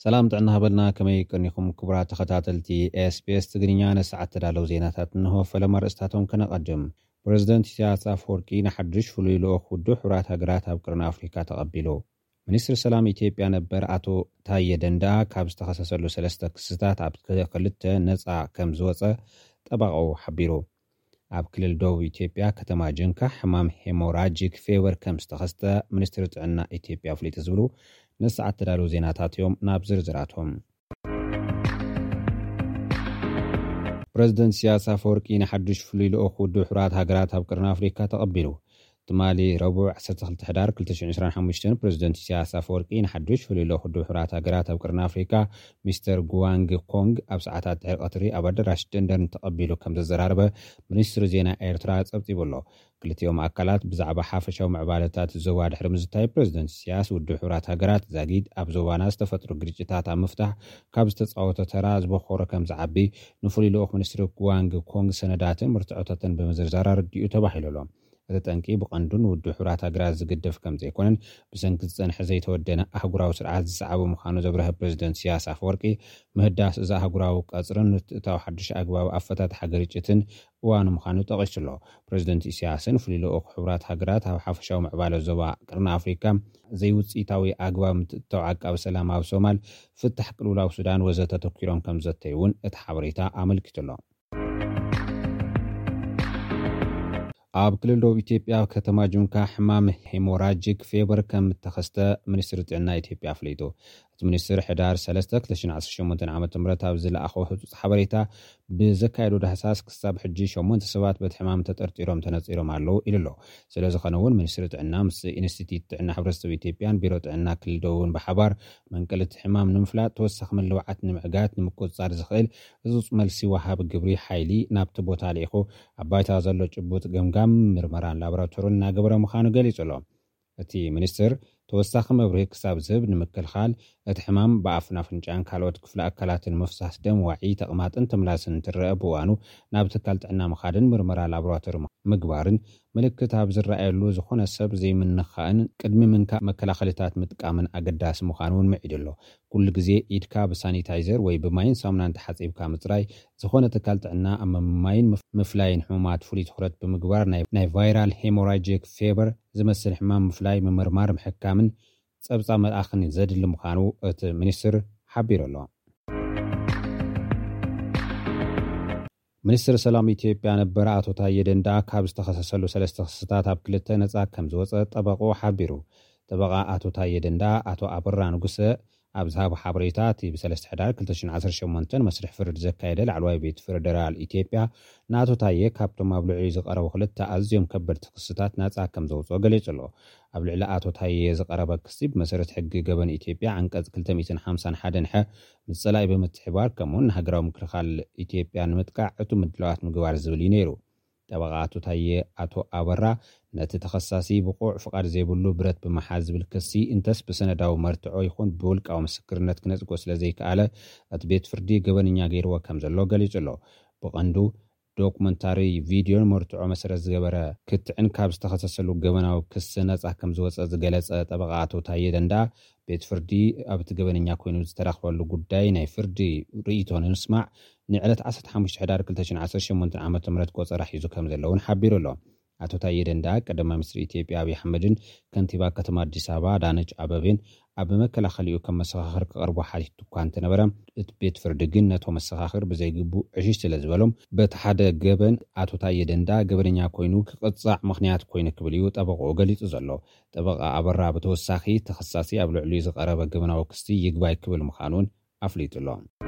ሰላም ጥዕና ሃበልና፣ ከመይ ቀኒኹም ክቡራት ተኸታተልቲ ኤስቢኤስ ትግርኛ? ንሰዓት ተዳለዉ ዜናታት እንሆ። ፈለማ ርእስታቶም ከነቐድም። ፕረዚደንት ኢሳያስ ኣፈወርቂ ንሓድሽ ፍሉይ ልኡኽ ውድብ ሕቡራት ሃገራት ኣብ ቅርኒ ኣፍሪካ ተቐቢሉ። ሚኒስትሪ ሰላም ኢትዮጵያ ነበር ኣቶ ታየ ደንዳ ካብ ዝተኸሰሰሉ ሰለስተ ክስታት ኣብ ክልተ ነፃ ከም ዝወፀ ጠበቃኡ ሓቢሩ። ኣብ ክልል ደቡብ ኢትዮጵያ ከተማ ጅንካ ሕማም ሄሞራጂክ ፌቨር ከም ዝተኸስተ ሚኒስትሪ ጥዕና ኢትዮጵያ ኣፍሊጡ ዝብሉ ንሰዓት ተዳለዉ ዜናታት እዮም። ናብ ዝርዝራቶም። ፕረዚደንት ኢሳያስ ኣፈወርቂ ንሓድሽ ፍሉይ ልኡኽ ውድብ ሕቡራት ሃገራት ኣብ ቅርኒ ኣፍሪካ ተቐቢሉ። ትማሊ ረቡዕ ዓሰርተ ክልተ ሕዳር ክልተ ሽሕን ዕስራን ሓሙሽተን ፕረዚደንት ኢሳያስ ኣፈወርቂ ንሓድሽ ፍሉይ ልኡኽ ውድብ ሕቡራት ሃገራት ኣብ ቅርኒ ኣፍሪካ ሚስተር ጉዋንግ ኮንግ ኣብ ሰዓታት ድሕሪ ቀትሪ ኣብ ኣዳራሽ ደንደን ተቐቢሉ ከም ዘዘራረበ ሚኒስትሪ ዜና ኤርትራ ጸብጺቡ ኣሎ። ክልቲኦም ኣካላት ብዛዕባ ሓፈሻዊ ምዕባለታት ዞባ ድሕሪ ምዝታይ ፕረዚደንት ኢሳያስ ውድብ ሕቡራት ሃገራት ዛጊድ ኣብ ዞባና ዝተፈጥሩ ግርጭታት ኣብ ምፍታሕ ካብ ዝተጻወቶ ተራ ዝበኾረ ከም ዝዓቢ ንፍሉይ ልኡኽ ሚኒስትሪ ጉዋንግ ኮንግ ሰነዳትን መርትዖታትን ብምዝርዛር ኣረዲኡ ተባሂሉ ኣሎ። እቲ ጠንቂ ብቐንዱ ንውድብ ሕቡራት ሃገራት ዝግደፍ ከም ዘይኮነን ብሰንኪ ዝጸንሐ ዘይተወደነ ኣህጉራዊ ስርዓት ዝሰዓበ ምዃኑ ዘብረሀ ፕረዚደንት ኢሳያስ ኣፈወርቂ ምህዳስ እዚ ኣህጉራዊ ቀጽርን ምትእታው ሓድሽ ኣግባብ ኣፈታትሓ ግርጭትን እዋኑ ምዃኑ ጠቒሱ ኣሎ። ፕረዚደንት ኢሳያስን ፍሉይ ልኡኽ ሕቡራት ሃገራት ኣብ ሓፈሻዊ ምዕባለ ዞባ ቅርኒ ኣፍሪካ ዘይውጽኢታዊ ኣግባብ ምትእትታው ዓቃቢ ሰላም ኣብ ሶማል ፍታሕ ቅልውላው ሱዳን ወዘተ ተተኪሮም ከም ዘተዩ እውን እቲ ሓበሬታ ኣመልኪቱ ኣሎ። ኣብ ክልል ደቡብ ኢትዮጵያ ከተማ ጁንካ ሕማም ሄሞራጂክ ፌቨር ከም እተኸስተ ሚኒስትሪ ጥዕና ኢትዮጵያ ኣፍሊጡ። እቲ ሚኒስትር ሕዳር ሰለስተ ክልተ ሽሕን ዓሰርተ ሸሞንተን ዓመተ ምህረት ኣብ ዝለኣኾ ህጹጽ ሓበሬታ ብዘካየዶ ዳህሳስ ክሳብ ሕጂ ሸሞንተ ሰባት በቲ ሕማም ተጠርጢሮም ተነጺሮም ኣለዉ ኢሉ ኣሎ። ስለ ዝኾነ እውን ሚኒስትሪ ጥዕና ምስ ኢንስቲትዩት ጥዕና ሕብረተሰብ ኢትዮጵያን ቢሮ ጥዕና ክልል ደቡብን ብሓባር መንቀሊ እቲ ሕማም ንምፍላጥ ተወሳኺ ምልውዓት ንምዕጋት ንምቁጽጻር ዝኽእል ህጹጽ መልሲ ወሃቢ ግብሪ ሓይሊ ናብቲ ቦታ ልኢኹ ኣብ ባይታ ዘሎ ጭቡጥ ገምጋም ምርመራን ላቦራቶርን እናገበረ ምዃኑ ገሊጹ ኣሎ። እቲ ሚኒስትር ተወሳኺ መብርሂ ክሳብ ዝህብ ንምክልኻል እቲ ሕማም ብኣፍን ኣፍንጫን ካልኦት ክፍሊ ኣካላትን ምፍሳስ ደም ዋዒ ተቕማጥን ተምላስን እንትረአ ብእዋኑ ናብ ትካል ጥዕና ምኻድን ምርመራ ላቦራቶሪ ምግባርን ምልክት ኣብ ዝረኣየሉ ዝኾነ ሰብ ዘይምንኻእን ቅድሚ ምንካእ መከላኸልታት ምጥቃምን ኣገዳሲ ምዃኑ እውን ምዒዱ ኣሎ። ኩሉ ግዜ ኢድካ ብሳኒታይዘር ወይ ብማይን ሳሙናን ተሓጺብካ ምጽራይ፣ ዝኾነ ትካል ጥዕና ኣብ ምምማይን ምፍ- ምፍላይን ሕሙማት ፍሉይ ትኹረት ብምግባር ናይ ናይ ቫይራል ሄሞራጂክ ፌቨር ዝመስል ሕማም ምፍላይ ምምርማር ምሕካምን ጸብጻብ መልኣኽን ዘድሊ ምዃኑ እቲ ሚኒስትር ሓቢሩ ኣሎ። ሚኒስትር ሰላም ኢትዮጵያ ነበር ኣቶ ታየ ደንዳ ካብ ዝተኸሰሰሉ ሰለስተ ክስታት ኣብ ክልተ ነጻ ከም ዝወጸ ጠበቆ ሓቢሩ። ጠበቃ ኣቶ ታየ ደንዳ ኣቶ ኣበራ ንጉሰ ኣብ ዝሃቦ ሓበሬታ እቲ ብሰለስተ ሕዳር ክልተ ሽሕን ዓሰርተ ሸሞንተን መስርሕ ፍርዲ ዘካየደ ላዕለዋይ ቤት ፌደራል ኢትዮጵያ ንኣቶ ታየ ካብቶም ኣብ ልዕሊኡ ዝቐረቡ ክልተ ኣዝዮም ከበድቲ ክስታት ናጻ ከም ዘውፅኦ ገሊጹ ኣሎ። ኣብ ልዕሊ ኣቶ ታየ ዝቐረበ ክሲ ብመሰረት ሕጊ ገበን ኢትዮጵያ ዓንቀጽ ክልተ ሚእትን ሓምሳን ሓደን ሐ ምስ ጸላኢ ብምትሕባር ከምኡውን ንሃገራዊ ምክልኻል ኢትዮጵያ ንምጥቃዕ ዕቱብ ምድላዋት ምግባር ዝብል እዩ ነይሩ። ጠበቓ ኣቶ ታየ ኣቶ ኣበራ ነቲ ተኸሳሲ ብቑዕ ፍቓድ ዘይብሉ ብረት ብምሓዝ ዝብል ክሲ እንተስ ብሰነዳዊ መርትዖ ይኹን ብውልቃዊ ምስክርነት ክነጽጎ ስለ ዘይከኣለ እቲ ቤት ፍርዲ ገበነኛ ገይርዎ ከም ዘሎ ገሊጹ ኣሎ። ብቐንዱ ዶኩመንታሪ ቪድዮን መርትዖ መሰረት ዝገበረ ክትዕን ካብ ዝተኸሰሰሉ ገበናዊ ክሲ ነጻ ከም ዝወጸ ዝገለጸ ጠበቓ ኣቶ ታየ ደንዳ ቤት ፍርዲ ኣብቲ ገበነኛ ኮይኑ ዝተረኽበሉ ጉዳይ ናይ ፍርዲ ርእይቶ ንምስማዕ ንዕለት ዓሰርተ ሓሙሽተ ሕዳር ክልተ ሽሕን ዓሰርተ ሸሞንተን ዓመተ ምህረት ቆጸራ ሒዙ ከም ዘለውን ሓቢሩ ኣሎ። ኣቶ ታየ ደንዳ ቀዳማይ ሚኒስትር ኢትዮጵያ ኣብይ ኣሕመድን ከንቲባ ከተማ ኣዲስ ኣበባ ኣዳነች ኣበቤን ኣብ መከላኸሊኡ ከም መሰኻኽር ክቐርቡ ሓቲቱ እኳ እንተነበረ እቲ ቤት ፍርዲ ግን ነቶ መሰኻኽር ብዘይግቡእ ዕሽሽ ስለ ዝበሎም በቲ ሓደ ገበን ኣቶ ታየ ደንዳ ገበነኛ ኮይኑ ክቕጻዕ ምኽንያት ኮይኑ ክብል እዩ ጠበቆኡ ገሊጹ ዘሎ። ጠበቃ ኣበራ ብተወሳኺ ተኸሳሲ ኣብ ልዕሊኡ ዝቐረበ ገበናዊ ክሲ ይግባይ ክብል ምዃኑን ኣፍሊጡ ኣሎ።